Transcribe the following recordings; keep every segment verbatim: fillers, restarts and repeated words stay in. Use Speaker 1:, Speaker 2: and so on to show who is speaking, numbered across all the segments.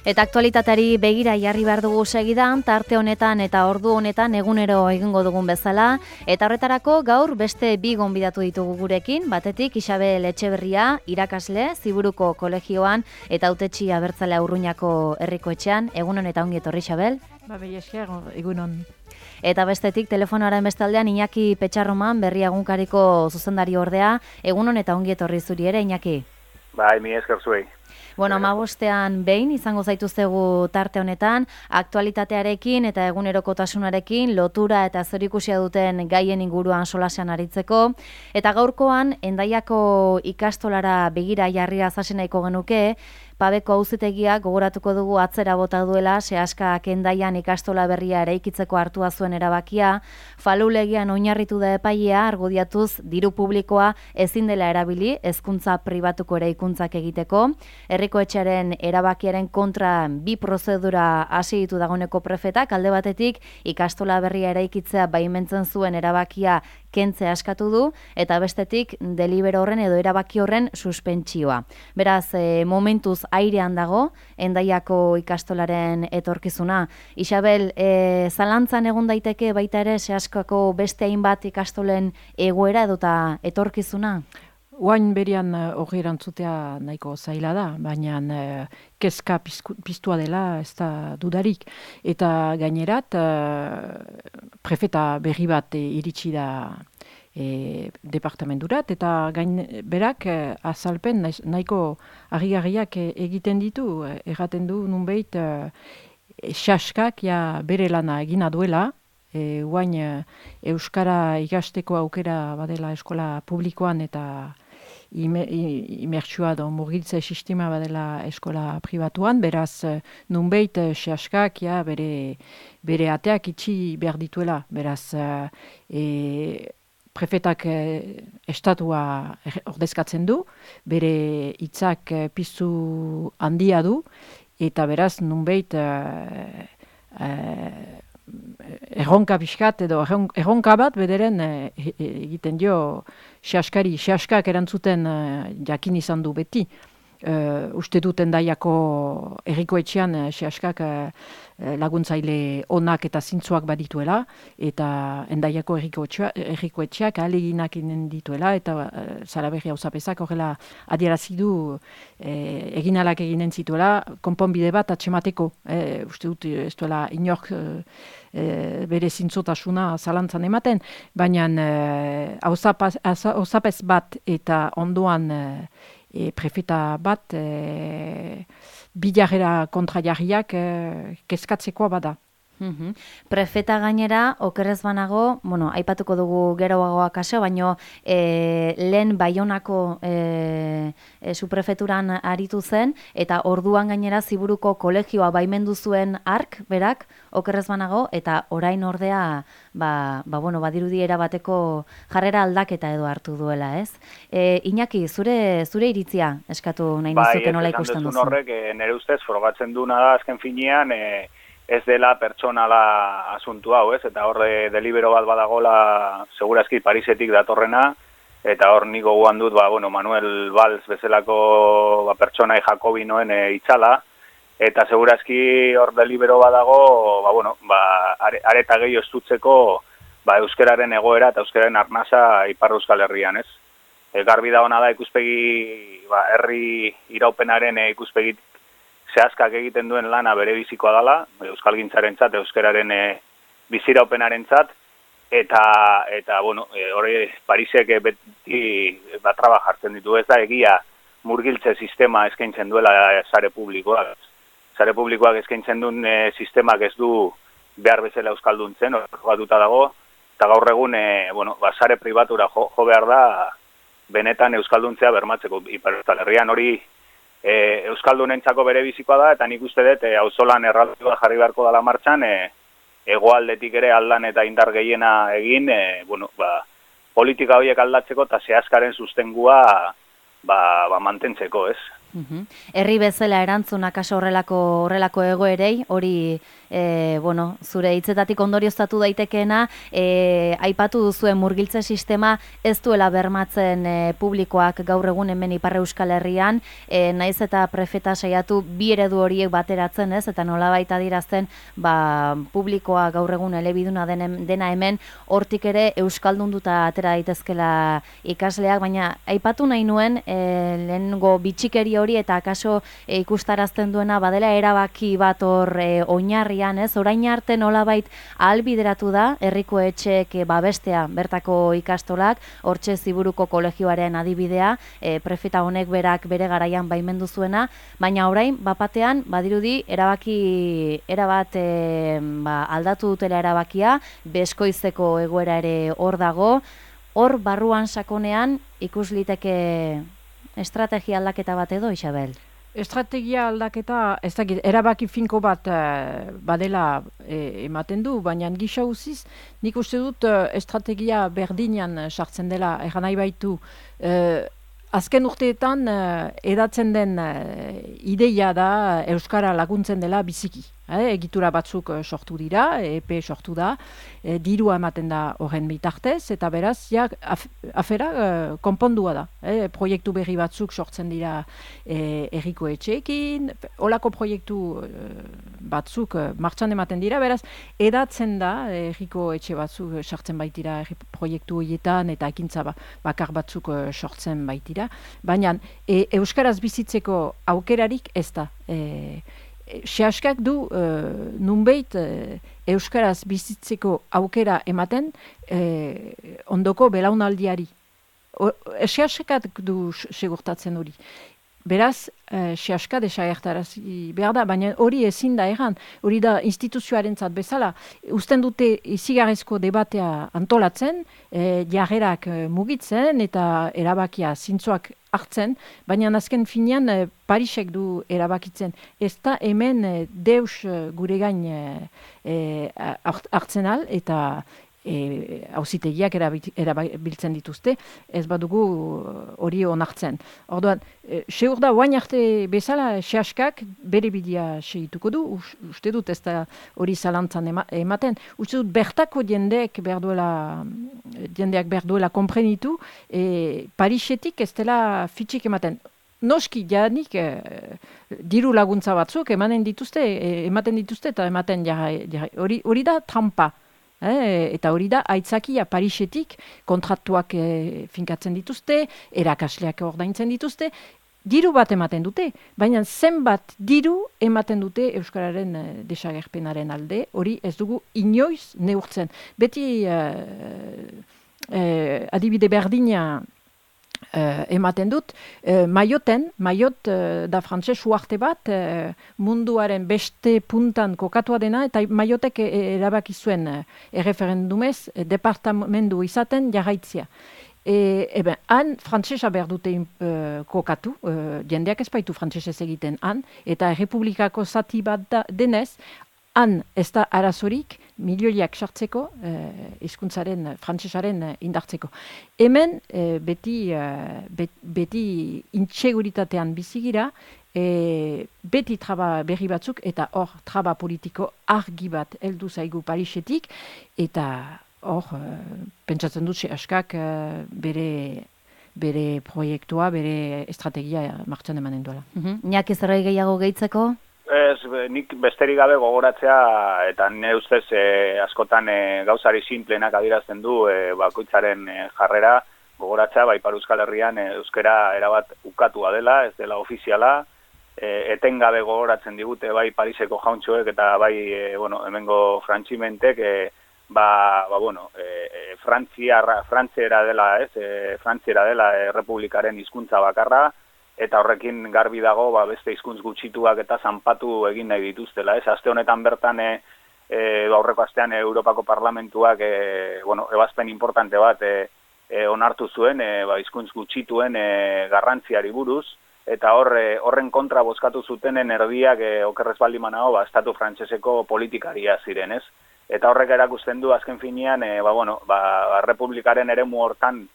Speaker 1: Eta aktualitateari begira jarri behar dugu segidan, tarte honetan eta ordu honetan egunero egingo dugun bezala. Eta horretarako gaur beste bi gonbidatu ditugu gurekin, batetik Isabel Etxeberria, irakasle, Ziburuko kolegioan eta hautetsi abertzale Urruñako herriko etxean. Egunon eta ongi etorri, Isabel.
Speaker 2: Ba, behi esker, egunon.
Speaker 1: Eta bestetik telefonoaren bestaldean Iñaki Petxarroman, Berria egunkariko zuzendari ordea. Egunon eta ongi etorri zuri ere, Iñaki.
Speaker 3: Bai, mi esker zuei.
Speaker 1: Bueno, hamabostean behin izango zaituztegu tarte honetan, aktualitatearekin eta egunerokotasunarekin lotura eta zerikusia duten gaien inguruan solasean aritzeko. Eta gaurkoan, Hendaiako ikastolara begira jarria zasen nahiko genuke, Pabeko auzitegiak gogoratuko dugu atzera bota duela, Seaskak Hendaian ikastola berria eraikitzeko hartua zuen erabakia, falulegian oinarritu da epailea argudiatuz diru publikoa ezin dela erabili hezkuntza pribatuko eraikuntzak egiteko. Herriko etxearen erabakiaren kontra bi prozedura hasi ditu dagoeneko prefetak, alde batetik ikastola berria eraikitzea baimentzen zuen erabakia kentzea eskatu du, eta bestetik delibero horren edo erabaki horren suspentsioa. Beraz, e, momentuz airean dago Hendaiako ikastolaren etorkizuna. Isabel, e, zalantzan egon daiteke baita ere Seaskako beste hainbat ikastolen egoera edota etorkizuna?
Speaker 2: Oain berian hori erantzutea nahiko zaila da, baina uh, kezka piztua dela ez da dudarik. Eta gainerat, uh, prefeta berri bat e, iritsi da e, departamenturat, eta gain berak uh, azalpen nahiko harrigarriak egiten ditu, erraten du nunbait uh, Seaskak ja bere lana egina duela, e, oain uh, Euskara ikasteko aukera badela eskola publikoan eta imertsua da murgiltze sistema badela eskola pribatuan, beraz nunbait Seaskak ja, bere, bere ateak itxi behar dituela, beraz e, prefetak e, estatua ordezkatzen du, bere hitzak e, piztu handia du, eta beraz nunbait e, e, erronka pixkat edo erronka bat bederen e, e, egiten dio Seaskari. Seaskak erantzuten e, jakin izan du beti. E, uste dut Hendaiako herriko etxean e, Seaskak e, laguntzaile onak eta zintzoak badituela, eta Hendaiako herriko etxeak ahaleginak inen dituela, eta e, Zaraberri auzapezak horrela adierazi du e, eginalak eginen zituela, konponbide bat atxemateko. E, uste dut ez duela inork e, E, bere zintzotasuna zalantzan ematen, baina auzapez e, bat eta ondoan e, prefeta bat e, bilarrera kontra jarriak e, kezkatzekoa bada.
Speaker 1: Mm-hmm. Prefeta gainera, okerrez banago, bueno, aipatuko dugu geroagoa kaso, baino e, lehen Baionako e, e, suprefeturan aritu zen, eta orduan gainera Ziburuko kolegioa baimendu zuen ark, berak, okerrez banago, eta orain ordea, ba, ba, bueno, badirudiera bateko jarrera aldaketa edo hartu duela, ez? E, Iñaki, zure zure iritzia eskatu nahi nizuke nola ikusten duzu?
Speaker 3: Bai, horrek, e, nire ustez, frogatzen duna da azken finean, e, ez dela pertsonala asuntu hau, ez? Eta horre delibero bat badagola segurazki Parisetik datorrena, eta hor niko guan dut, ba, bueno, Manuel Valls bezalako ba, pertsonai Jakobinoen e, itzala, eta segurazki hor delibero badago, ba, bueno, ba, are, areta gehi ostutzeko ba, euskeraren egoera eta euskeraren arnasa Ipar Euskal Herrian, ez? E, garbi da ona da ikuspegi, ba, herri iraupenaren e, ikuspegi Seaskak egiten duen lana bere bizikoa dela, euskalgintzarentzat, euskeraren e, biziraupenarentzat, eta eta bueno, e, hori Parisek beti batraba jartzen ditu, ez da egia murgiltze sistema eskaintzen duela sare publikoak. Sare publikoak eskaintzen duen e, sistemak ez du behar bezala euskalduntzen, hori batuta dago, eta gaur egun e, bueno, ba, sare pribatura jo, jo behar da benetan euskalduntzea bermatzeko Ipar Euskal Herrian hori E, euskaldunentzako bere bizikoa da, eta nik uste dut e, auzolan erraldua jarri beharko dela martxan, e, hegoaldetik ere aldan eta indar gehiena egin, e, bueno, ba, politika horiek aldatzeko eta Seaskaren sustengua ba, ba, mantentzeko, ez?
Speaker 1: Herri bezala erantzun akaso horrelako horrelako egoerei, hori e, bueno, zure hitzetatik ondorioztatu daitekeena, e, aipatu duzuen murgiltze sistema ez duela bermatzen e, publikoak gaur egun hemen Ipar Euskal Herrian, e, naiz eta prefeta saiatu bi eredu horiek bateratzen, ez, eta nolabait adierazten, ba, publikoa gaur egun elebiduna den, dena hemen, hortik ere euskaldunduta atera daitezkela ikasleak, baina aipatu nahi nuen e, lehengo bitxikeri hori eta akaso e, ikustarazten duena badela erabaki bat hor e, oinarrian, ez? Orain arte nolabait ahalbideratu da herriko etxeek e, babestea bertako ikastolak, hortxe Ziburuko kolegioaren adibidea, e, prefeta honek berak bere garaian baimendu zuena, baina orain bapatean badirudi erabaki erabat e, ba, aldatu dutela erabakia, beskoizeko egoera ere hor dago, hor barruan sakonean ikus liteke estrategia aldaketa bat edo, Isabel?
Speaker 2: Estrategia aldaketa, ez dakit, erabaki finko bat uh, badela e, ematen du, baina gisa uziz, nik uste dut uh, estrategia berdinean sartzen dela, egan nahi baitu, uh, azken urteetan uh, edatzen den uh, ideia da Euskara laguntzen dela biziki. Eh, egitura batzuk uh, sortu dira, E P sortu da, e, dirua ematen da horren bitartez, eta beraz, ja, af, afera uh, konpondua da. Eh, proiektu berri batzuk sortzen dira e, erriko etxeekin, olako proiektu uh, batzuk uh, martxan ematen dira, beraz, edatzen da erriko etxe batzuk sartzen baitira erri proiektu horietan, eta ekintza ba, bakar batzuk uh, sortzen baitira, baina e, Euskaraz bizitzeko aukerarik ez da. E, Sehaskak du uh, nunbait uh, Euskaraz bizitzeko aukera ematen uh, ondoko belaunaldiari. Sehaskak du segurtatzen hori. Beraz, uh, sehaska desagertarazi behar da, baina hori ezin da erran, hori da instituzioarentzat bezala. Uzten dute izigarrezko debatea antolatzen, eh, jarrerak eh, mugitzen eta erabakia zintzoak hartzen, baina azken finean eh, Parisek du erabakitzen. Ez da hemen eh, deus eh, gure gain eh, eh, hartzen al, eta hauzitegiak e, erabiltzen dituzte, ez badugu hori onartzen. Orduan, e, seur da, oain arte bezala, sehaskak bere bidea segituko du, uste dut ez da hori zalantzan ema, ematen, uste dut bertako jendeek behar duela, jendeak behar duela komprenitu, e, Parisetik ez dela fitxik ematen. Noski, janik, eh, diru laguntza batzuk ematen dituzte, eh, ematen dituzte eta ematen jarrai, jarrai. Hori, hori da trampa. Eh, eta hori da, aitzakia Parisetik kontratuak eh, finkatzen dituzte, erakasleak ordaintzen dituzte, diru bat ematen dute, baina zenbat diru ematen dute Euskararen eh, desagerpenaren alde, hori ez dugu inoiz neurtzen. Beti eh, eh, adibide berdina Uh, ematen dut, uh, Mayotten, Mayot uh, da frantses uarte bat, uh, munduaren beste puntan kokatua dena, eta Mayotek erabaki zuen uh, erreferendumez, uh, departamendu izaten jarraitzia. E, eben, han frantsesa behar dute uh, kokatu, uh, jendeak ez baitu frantsesez egiten han, eta errepublikako zati bat da, denez, han ez da arazorik milioiak sartzeko, eh, hizkuntzaren frantsesaren eh, indartzeko. Hemen eh, beti, eh, bet, beti intxeguritatean bizigira, eh, beti traba berri batzuk, eta hor traba politiko argi bat heldu zaigu Parisetik, eta hor, eh, pentsatzen dut sehaskak eh, bere bere proiektua, bere estrategia martxan emanen duela.
Speaker 1: Uh-huh. Iñaki, zerbait gehiago gehitzeko?
Speaker 3: Ez, nik besterik gabe gogoratzea, eta nire ustez e, askotan e, gauzari simplenak adirazten du e, bakoitzaren e, jarrera, gogoratzea, bai Ipar Euskal Herrian e, euskara erabat ukatua dela, ez dela ofiziala, e, etengabe gogoratzen digute bai Pariseko jauntxoek eta bai e, bueno, hemengo frantzimentek, e, ba, ba, bueno, e, e, Frantziara, Frantziera dela, ez, e, Frantziera dela e, Republikaren hizkuntza bakarra, eta horrekin garbi dago ba, beste hizkuntz gutxituak eta zanpatu egin nahi dituztela. Ez? Aste honetan bertan, e, e, aurreko astean e, Europako Parlamentuak e, bueno, ebazpen importante bat e, e, onartu zuen e, ba, hizkuntz gutxituen e, garrantziari buruz, eta hor, e, horren kontra bozkatu zutenen erdiak e, okerrez baldin banago, ba, estatu frantseseko politikaria ziren, ez? Eta horrek erakusten du azken finean, e, ba, bueno, ba, Republikaren eremu hortan,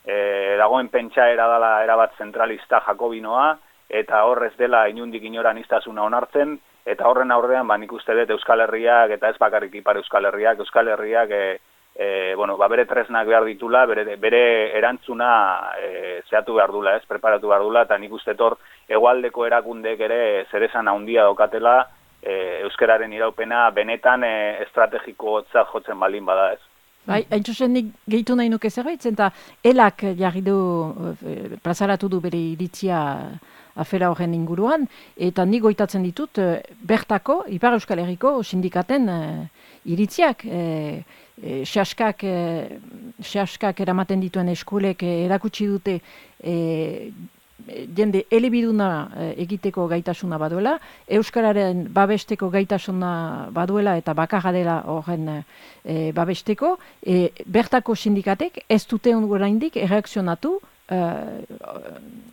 Speaker 3: E, dagoen pentsaera dela erabat zentralista jakobinoa, eta hor ez dela inundik inora aniztasuna onartzen, eta horren aurrean, ba, nik uste dut Euskal Herriak, eta ez bakarrik Ipar Euskal Herriak, Euskal Herriak, e, e, bueno, ba, bere tresnak behar ditula, bere, bere erantzuna e, zehatu behar dula, ez, preparatu behar dula, eta nik uste hor hegoaldeko erakundek ere zeresan handia daukatela, e, euskararen iraupena benetan e, estrategikotzat jotzen baldin bada, ez.
Speaker 2: Bai, hain zuzen nik gehitu nahi nuke zerbait, zenta elak jarri du, plazaratu du bere iritzia afera horren inguruan, eta nik goitatzen ditut bertako, Ipar Euskal Herriko sindikaten iritziak, e, e, xaskak, e, xaskak eramaten dituen eskulek erakutsi dute e, jende elebiduna egiteko gaitasuna baduela, euskararen babesteko gaitasuna baduela eta bakarra dela horren e, babesteko, e, bertako sindikatek ez dute oraindik erreakzionatu uh,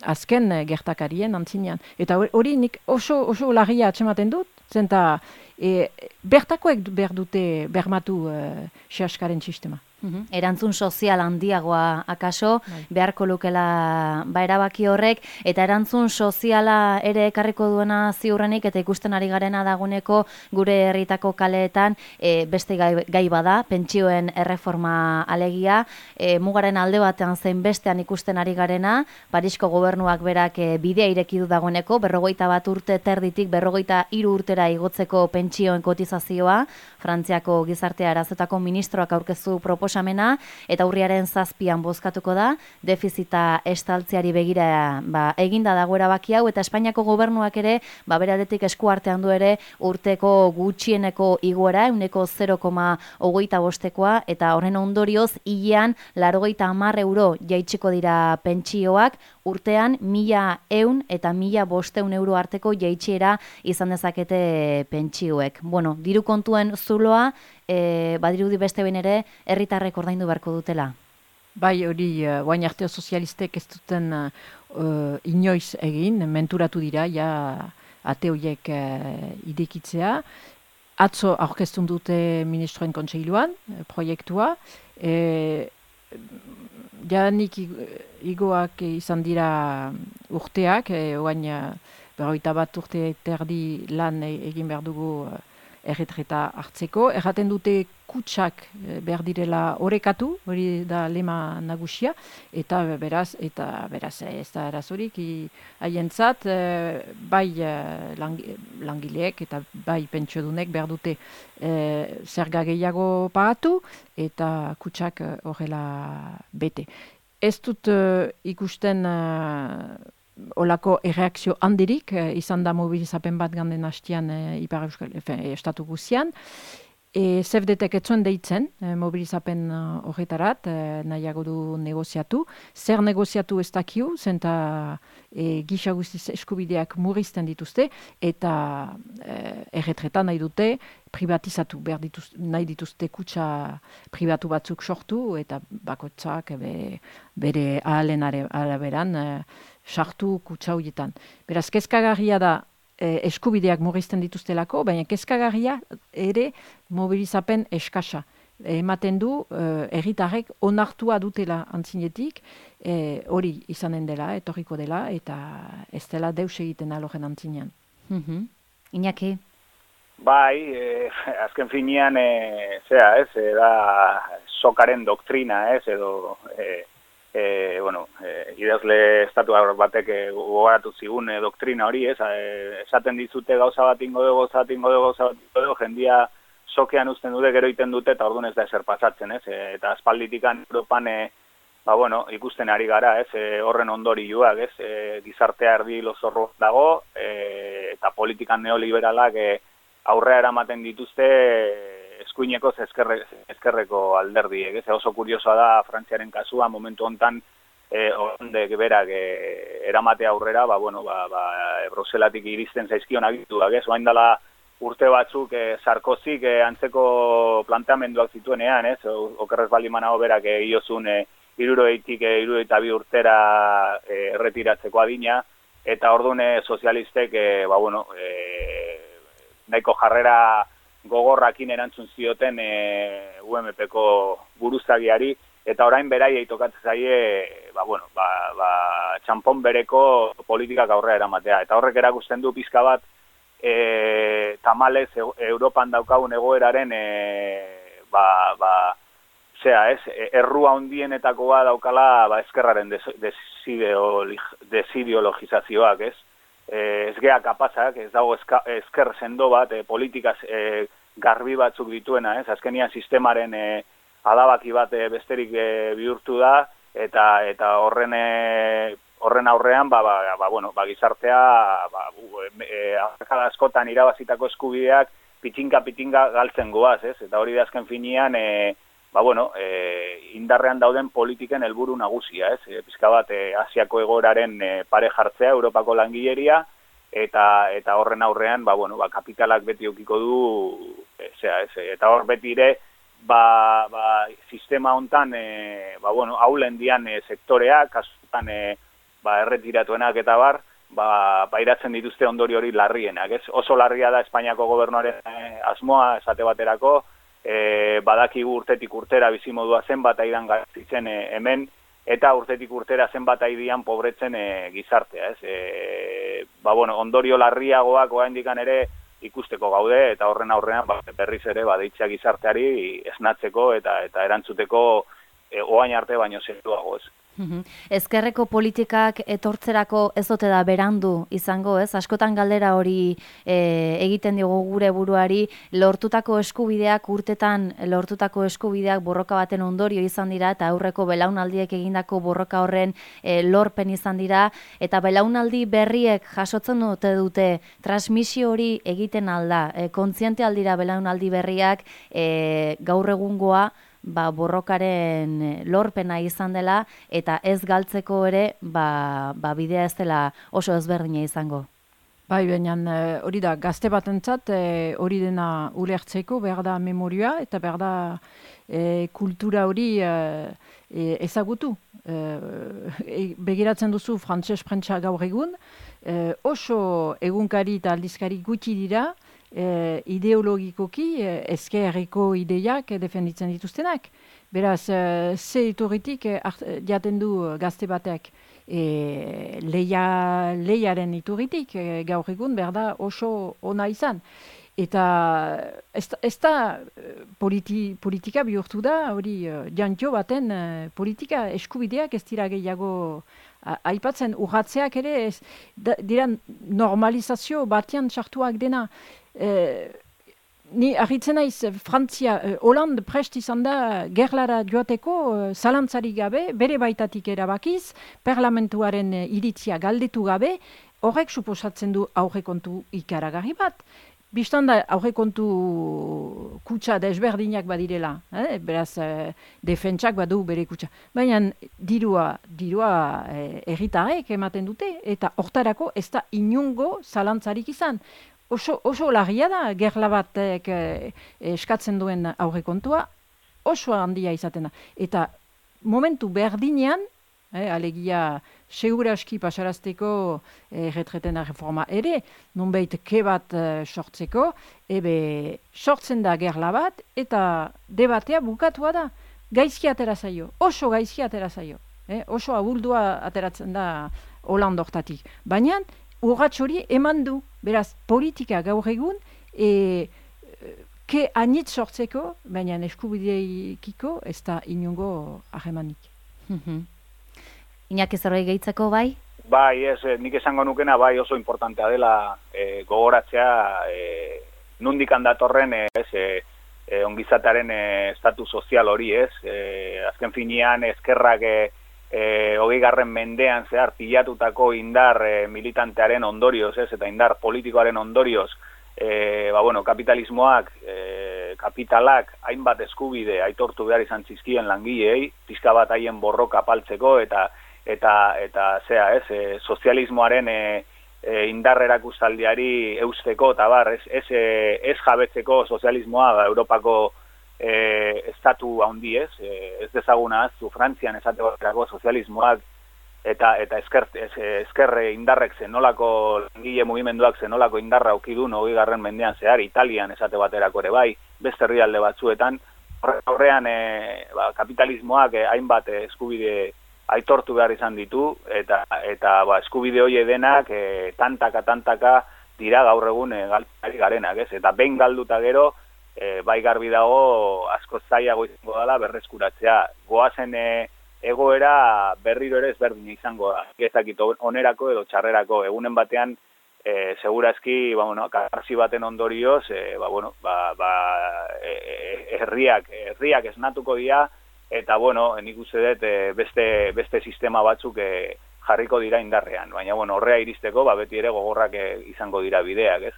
Speaker 2: azken gertakarien antzinean. Eta hori nik oso, oso larria atsematen dut, zenta e, bertakoek behar dute bermatu uh, xaskaren sistema.
Speaker 1: Uhum. Erantzun sozial handiagoa akaso, bai. Beharko lukela ba erabaki horrek, eta erantzun soziala ere ekarriko duena ziurrenik, eta ikusten ari garena daguneko gure herritako kaleetan e, beste gai, gai bada, pentsioen erreforma alegia, e, mugaren alde batean zein bestean ikusten ari garena, Parisko gobernuak berak e, bidea ireki du dagoeneko, berrogeita bat urte terditik, berrogeita hiru urtera igotzeko pentsioen kotizazioa, Frantziako gizartea arazetako ministroak aurkeztu proposamena, eta urriaren zazpian bozkatuko da, defizita estaltzeari begira ba, eginda dago erabaki hau, eta Espainiako gobernuak ere, ba, beradetik esku artean du ere, urteko gutxieneko igoera, euneko zero koma hogeita bostekoa, eta horren ondorioz, hilean, laurogeita hamar euro jaitsiko dira pentsioak, urtean mila eun eta mila bosteun euro arteko jaitsiera izan dezakete pentsioek. Bueno, diru kontuen zuloa, e, badirudi beste behin ere, herritarrek ordaindu beharko dutela.
Speaker 2: Bai, hori, uh, guain arte sozialistek ez duten uh, inoiz egin, menturatu dira, ja ate horiek uh, idekitzea. Atzo aurkeztun dute ministroen kontseiluan, proiektua. E, Ja nik igoak izan dira urteak, e, oain berrogeita bat urte terdi lan egin behar dugu erretreta hartzeko. Erraten dute kutsak behar direla orekatu, hori da lema nagusia, eta beraz, eta beraz ez da erazorik, haientzat bai langileek eta bai pentsiodunek behar dute e, zerga gehiago pagatu, eta kutsak horrela bete. Ez dut uh, ikusten uh, olako erreakzio handirik, uh, izan da mobilizapen bat ganden hastian uh, Ipar Euskal Estatu guzian. E, Z E V D-ek etzuen deitzen, e, mobilizapen horretarat, e, nahiago du negoziatu. Zer negoziatu ez dakiu, zenta e, gisa guztiz eskubideak murrizten dituzte, eta e, erretretan nahi dute privatizatu, behar dituzte, nahi dituzte kutsa pribatu batzuk sortu, eta bakotzak be, bere ahalen araberan e, sartu kutsa horietan. Beraz, kezkagarria da, eskubideak murrizten dituztelako, baina kezkagarria ere mobilizapen eskasa. Ematen du, herritarrek onartua dutela antzinetik, hori e, izanen dela, etorriko dela, eta ez dela deus egiten alojen antzinean.
Speaker 1: Mm-hmm. Iñaki?
Speaker 3: Bai, e, azken finean, e, zera, ez, e, da sokaren doktrina, ez, edo... E, E, bueno, e, idazle estatu batek gogoratu zigun e, doktrina hori, ez, e, esaten dizute gauza bat ingo dugu, gauza bat ingo dugu, gauza bat ingo dugu, jendia sokean uzten dute, gero iten dute, eta orduan ez da eser pasatzen, ez, e, eta aspalditikan Europan, e, ba, bueno, ikusten ari gara, ez, e, horren ondorioak, ez, e, gizartea erdi lozorro dago, e, eta politikan neoliberalak e, aurrea eramaten dituzte, e, eskuineko ezkerre, ezkerreko alderdiek. Ez oso kuriosoa da Frantziaren kasua momentu hontan eh, ondek berak eh, eramate aurrera, ba, bueno, ba, ba, Bruselatik iristen zaizkion agituak, ez? Oain dela urte batzuk eh, Sarkozik eh, antzeko planteamenduak zituenean, ez? Okerrez baldin banago berak eh, iozun eh, hirurogeita eh, hirurogeita bi urtera eh, erretiratzeko adina, eta orduan eh, sozialistek eh, ba, bueno, eh, nahiko jarrera gogorrakin erantzun zioten e, U M P-ko buruzagiari, eta orain beraiei tokatzen zaie, ba, bueno, ba, ba, txampon bereko politikak aurrera eramatea. Eta horrek erakusten du pizka bat, e, tamalez e, Europan daukagun egoeraren, e, ba, ba, zera, ez, errua hundienetakoa daukala, ba, ezkerraren desideologizazioak, ez? E, ez gea kapazak, ez dago eska, ezker sendo bat, e, politikaz e, garbi batzuk dituena, ez? Azkenian sistemaren e, adabaki bat e, besterik e, bihurtu da, eta eta horren e, horren aurrean ba, ba, ba, bueno, ba, gizartea ba, e, askotan irabazitako eskubideak pitinka-pitinka galtzen goaz, ez? Eta hori da azken finean e, ba, bueno, e, indarrean dauden politiken helburu nagusia, ez? E, pizka bat e, Asiako egoeraren e, pare jartzea, Europako langileria, eta eta horren aurrean ba, bueno, ba, kapitalak beti eukiko du, e, zera, ez? Eta hor beti ere Ba, ba, sistema hontan e, ba, bueno, haulen dian e, sektoreak, kasutan e, ba, erretiratuenak eta bar, ba, pairatzen dituzte ondorio hori larrienak. Ez? Oso larria da Espainiako gobernuaren e, asmoa esate baterako, e, badakigu urtetik urtera bizimodua zenbat aidan garzitzen e, hemen, eta urtetik urtera zenbat aidian pobretzen e, gizartea. Ez? E, ba, bueno, ondorio larriagoak oraindikan ere ikusteko gaude, eta horren aurrean ba, berriz ere badeitzea gizarteari esnatzeko eta eta erantzuteko e, oain arte baino zeruago, ez.
Speaker 1: Ezkerreko politikak etortzerako ez ote da berandu izango, ez? Askotan galdera hori e, egiten diogu gure buruari, lortutako eskubideak, urtetan lortutako eskubideak borroka baten ondorio izan dira, eta aurreko belaunaldiek egindako borroka horren e, lorpen izan dira, eta belaunaldi berriek jasotzen dute dute transmisio hori egiten alda, e, kontziente aldira belaunaldi berriak e, gaur egungoa, ba, borrokaren lorpena izan dela, eta ez galtzeko ere, ba, ba, bidea ez dela oso ezberdina izango.
Speaker 2: Bai, baina hori da, gazte batentzat hori dena ulertzeko, behar da memoria, eta behar da e, kultura hori e, ezagutu. E, begiratzen duzu frantses prentsa gaur egun, e, oso egunkari eta aldizkari gutxi dira, E, ideologikoki e, ezkerreko ideiak e, defenditzen dituztenak. Beraz, e, ze iturritik e, jaten du gazte batek e, leia, leiaren iturritik e, gaur egun behar da oso ona izan. Eta ez, ez da politi, politika bihurtu da, hori jantio baten e, politika eskubideak ez dira gehiago aipatzen, urratzeak ere ez, da, dira normalizazio batean sartuak dena. Eh, ni argitzen naiz, Frantzia, eh, Hollande prest izan da gerlara joateko eh, zalantzarik gabe, bere baitatik erabakiz, parlamentuaren eh, iritzia galdetu gabe, horrek suposatzen du aurrekontu ikaragarri bat. Bistan da aurrekontu kutsa desberdinak badirela, eh? Beraz eh, defentsak badu bere kutsa. Baina dirua, dirua eh, erritarek ematen dute, eta hortarako ez da inungo zalantzarik izan. Oso, oso larria da, gerla batek eh, eskatzen duen aurrekontua, oso handia izaten da. Eta momentu berdinean, eh, alegia seguraski pasarazteko eh, retretena reforma ere, nonbait ke bat eh, sortzeko, ebe sortzen da gerla bat, eta debatea bukatua da. Gaizki atera zaio, oso gaizki atera zaio. Eh, oso abuldua ateratzen da Hollande hortatik. Baina, urrats hori eman du, beraz, politika gaur egun, e, ke anitz sortzeko, baina eskubideikiko ez da inongo harremanik.
Speaker 1: Iñaki zerbait gehitzeko bai?
Speaker 3: Bai, ez, nik esango nukena, bai oso importantea dela e, gogoratzea e, nundikan datorren ez, e, e, ongizatearen e, estatus sozial hori, ez? E, azken finean ezkerrak e, E, hogei garren mendean zehar pilatutako indar e, militantearen ondorioz, ez, eta indar politikoaren ondorioz, e, ba, bueno, kapitalismoak, e, kapitalak, hainbat eskubide aitortu behar izan zizkien langilei, pizka bat haien borroka apaltzeko, eta eta eta zea, ez, e, sozialismoaren e, e, indar erakustaldiari eusteko, eta bar, ez, ez, e, ez jabetzeko sozialismoa ba, Europako E, estatu handi ez, e, ez dezaguna aztu Frantzian esate baterako sozialismoak eta eta esker, ez, eskerre indarrek zenolako langile mugimenduak zenolako indarra aukidun hogei garren mendean zehar, Italian esate baterako ere bai, beste herrialde batzuetan, horrean e, ba, kapitalismoak e, hainbat e, eskubide aitortu behar izan ditu, eta eta ba, eskubide hori denak e, tantaka, tantaka dira gaur egun e, galtari garenak, ez? Eta behin galduta gero, e, bai garbi dago asko zailago izango dela berreskuratzea. Goazen e, egoera berriro ere ezberdina izango da. Ezakit onerako edo txarrerako, egunen batean e, segurazki, ba, bueno, karsi baten ondorioz, e, ba, bueno, ba, ba, e, herriak, herriak esnatuko dira, eta, bueno, nik uste dut e, beste, beste sistema batzuk e, jarriko dira indarrean. Baina, bueno, horrea iristeko, ba, beti ere gogorrak e, izango dira bideak, ez?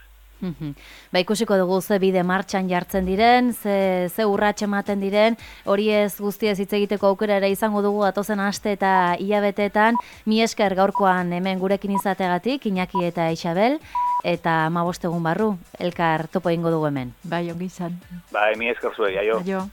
Speaker 1: Ba, ikusiko dugu ze bide martxan jartzen diren, ze, ze urrats ematen diren, hori ez guztiez hitz egiteko aukera ere izango dugu atozen aste eta hilabeteetan. Mi esker gaurkoan hemen gurekin izategatik, Iñaki eta Isabel, eta hamabost egun barru, elkar topo egingo dugu hemen.
Speaker 2: Bai, ongi izan.
Speaker 3: Bai, mi esker zuei, aio.
Speaker 2: Aio.